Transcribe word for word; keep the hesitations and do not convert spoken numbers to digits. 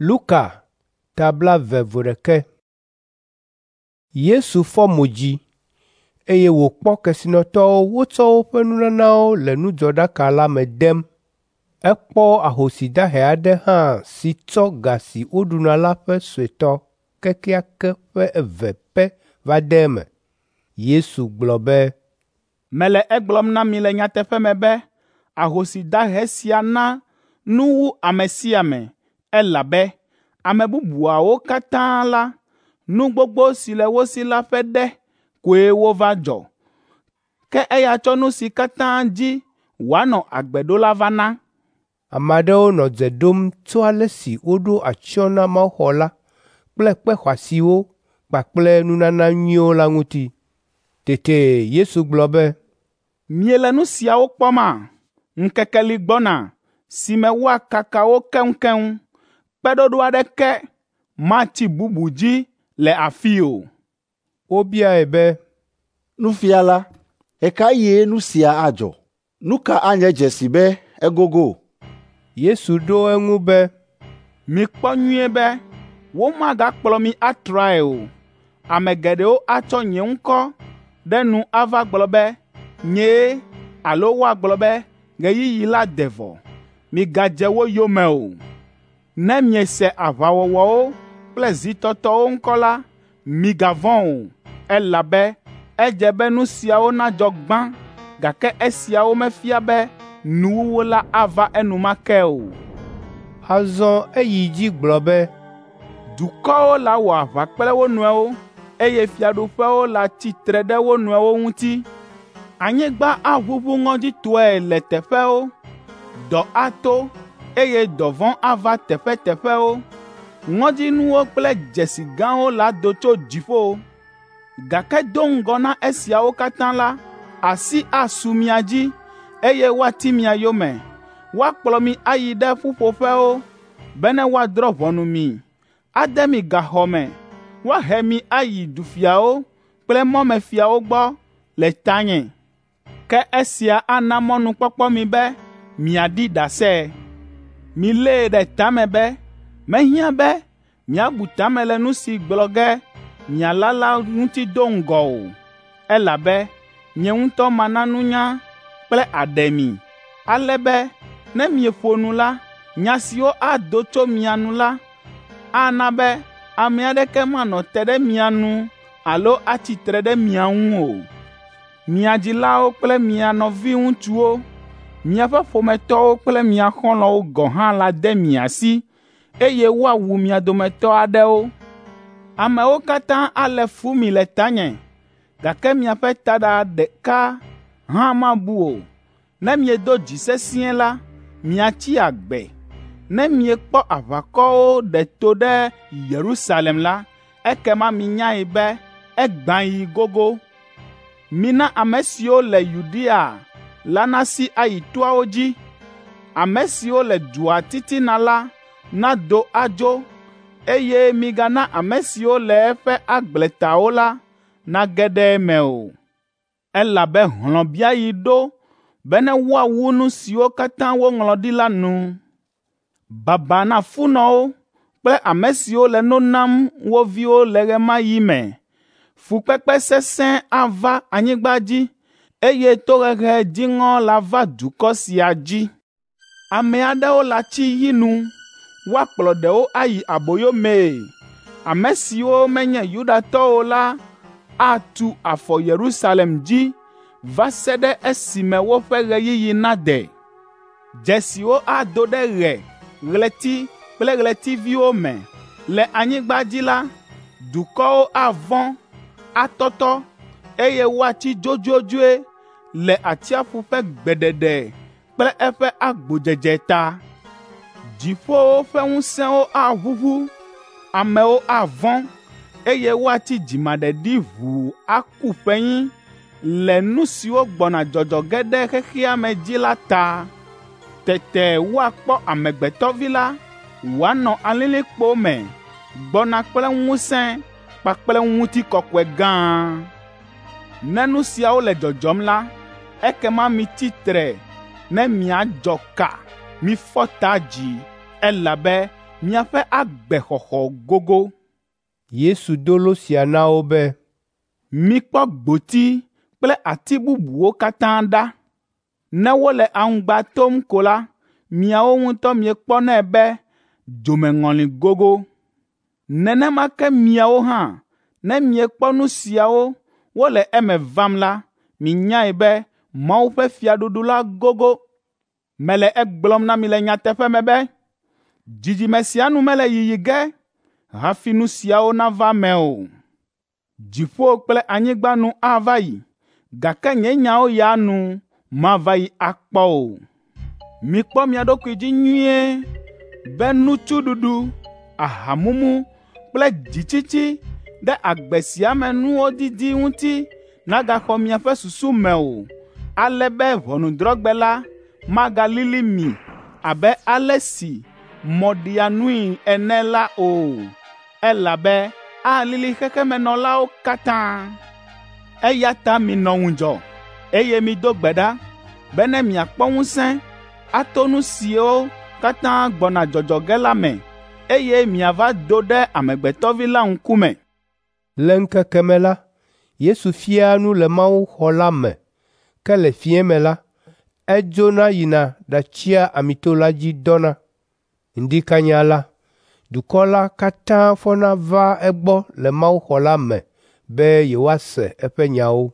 Luka ta blaeve vo ɖekɛ. Yesu fɔ mo dzi, eye wòkpɔ kesinɔtɔwo wotsɔ woƒe nunanawo le nudzɔɖaka la me dem. Ekpɔ ahosi dahe aɖe hã si tsɔ ga si woɖuna la ƒe suetɔ kekeake ƒe eve pɛ va de eme. Yesu gblɔ be, “Mele egblɔm na mi le nyateƒe me be ahosi dahe sia na nu wu ame sia ame, elabe ame bubuawo katã la, nu gbogbo si le wo si la ƒe ɖe koe wova dzɔ, ke eya tsɔ nu si katã dzi wòanɔ agbe ɖo la va na.” Ame aɖewo nɔ dze ɖom tso ale si woɖo atsyɔ̃ na mawuxɔ la kple kpe xɔasiwo kpakple nunana nyuiwo la ŋuti. Tete Yesu gblɔ be, “Miele nu siawo kpɔma? Ŋkeke li gbɔna si me woakaka wo keŋkeŋ. Kpeɖoɖo aɖeke matsi bubu dzi le afii o.” Wobiae be, “Nufiala, ɣe ka ɣie nu sia adzɔ? Nu ka anye dzesi be egogo?” Yesu ɖo eŋu be, “Mikpɔ nyuie be womagakplɔ mi atrae o. Ame geɖewo atsɔ nye ŋkɔ ɖe nu ava gblɔ be, ‘Nyee’ alo woagblɔ be, ‘Ɣeyiɣi la de vɔ.’ Migadze wo yome o. Ne miese aʋawɔwɔwo kple zitɔtɔwo ŋkɔ la, migavɔ̃ o, elabe edze be nu siawo nadzɔ gbã, gake esiawo mefia be nuwuwu la ava enumake o.” Azɔ eyi dzi gblɔ be, “Dukɔwo lawɔ aʋa kple wo nɔewo, eye fiaɖuƒewo latsi tre ɖe wo nɔewo ŋuti. Anyigba aʋuʋu ŋɔdzitɔe le teƒewo, dɔ ato, eye dɔvɔ̃ ava teƒeteƒewo. Ŋɔdzinuwo kple dzesi gãwo lado tso dziƒo. Gake do ŋgɔ na esiawo katã la, asi asu mia dzi, eye woati mia yome. Woakplɔ mi ayi ɖe ƒuƒoƒewo, bene woadrɔ̃ ʋɔnu mi, ade mi gaxɔ me, woahe mi ayi dufiawo kple mɔmefiawo gbɔ le tanye. Ke esia ana mɔnukpɔkpɔ mi be miaɖi ɖase. Milée ɖe ta me be mehiã be miabu ta me le nu si gblɔ ge miala la ŋuti do ŋgɔ o, elabe nye ŋutɔ mana nunya kple aɖe mi, ale be ne mieƒo nu la, nya siwo ado tso mia nu la ana be ame aɖeke manɔ te ɖe mia nu alo atsi tre ɖe mia ŋu o. Mia dzilawo kple mia nɔviŋutsuwo, miaƒe ƒometɔwo kple mia xɔlɔ̃wo gɔ̃ hã la de mi asi, eye woawu mia dometɔ aɖewo. Amewo katã alé fu mi le tanye, gake miaƒe taɖa ɖeka hã mabu o. Ne miedo dzi sesĩe la, miatsi agbe. Ne miekpɔ aʋakɔwo ɖe to ɖe Yerusalem la, ekema minyae be egbãɣi gogo. Mina ame siwo le Yudea la nasi ayi toawo dzi. Ame siwo le dua titina la nado adzo, eye migana ame siwo le eƒe agbletawo la nage ɖe eme o. Elabe hlɔ̃biaɣi ɖo bene woawu nu siwo katã woŋlɔ ɖi la nu. Baba na funɔwo kple ame siwo le no nam wo viwo le ɣe ma ɣi me. Fukpekpe sesẽ ava anyigba dzi, eye tohehe dziŋɔ lava dukɔ sia dzi. Ame aɖewo latsi yi nu, woakplɔ ɖewo ayi aboyo mee. Ame siwo menye Yudatɔwo o la atu afɔ Yerusalem dzi va se ɖe esime woƒe ɣeyiɣi nade. Dzesiwo ado ɖe ɣe, ɣleti kple ɣletiviwo me. Le anyigba dzi la, dukɔwo avɔ̃, atɔtɔ, eye woatsi dzodzodzoe le atsiaƒu ƒe gbeɖeɖe kple eƒe agbodzedze ta. Dziƒowo ƒe ŋusẽwo aʋuʋu, amewo avɔ̃, eye woatsi dzimaɖeɖi ʋuu aku ƒenyi le nu siwo gbɔna dzɔdzɔ ge ɖe xexea me dzi la ta. Tete woakpɔ Amegbetɔ Vi la wòanɔ alilikpo me gbɔna kple ŋusẽ kpakple ŋutikɔkɔe gã. Ne nu siawo le dzɔdzɔm la, ekema mitsi tre ne miadzɔ ka, mifɔ ta dzi, elabe miaƒe agbexɔxɔ gogo. Yesu do lo sia na wo be, Mikpɔ gboti kple ati bubuwo katã ɖa. Ne wole aŋgba tom ko la, miawo ŋutɔ miekpɔnɛ be dzomeŋɔli gogo. Nenema ke miawo hã, ne miekpɔ nu siawo wole eme vam la, minyae be Mawu ƒe fiaɖuɖu la gogo. Mele egblɔm na mi le nyateƒe me be, dzidzime sia nu mele yiyi ge hafi nu siawo nava eme o. Dziƒo kple anyigba nu ava yi, gake nye nyawo ya nu mava yi akpɔ o. Mikpɔ mia ɖokui dzi nyuie be nutsuɖuɖu, ahamumu kple dzitsitsi ɖe agbe sia me nuwo didi ŋuti nagaxɔ miaƒe susu me o, ale be ʋɔnudrɔ̃gbe la magalili mi abe ale si mɔ ɖia nui ene la o, elabe alili xexemenɔlawo katã. Eya ta minɔ ŋudzɔ, eye mido gbe ɖa bene miakpɔ ŋusẽ ato nu siwo katã gbɔna dzɔdzɔ ge la me, eye miava do ɖe Amegbetɔ Vi la ŋkume. Le ŋkeke me la, Yesu fiaa nu le mawuxɔ la me, ke le fiẽ me la, edzona yina ɖatsia Amito la dzi dɔna. Ŋdi kanya la, dukɔ la katã fɔna vaa egbɔ le mawuxɔ la me be yewoase eƒe nyawo.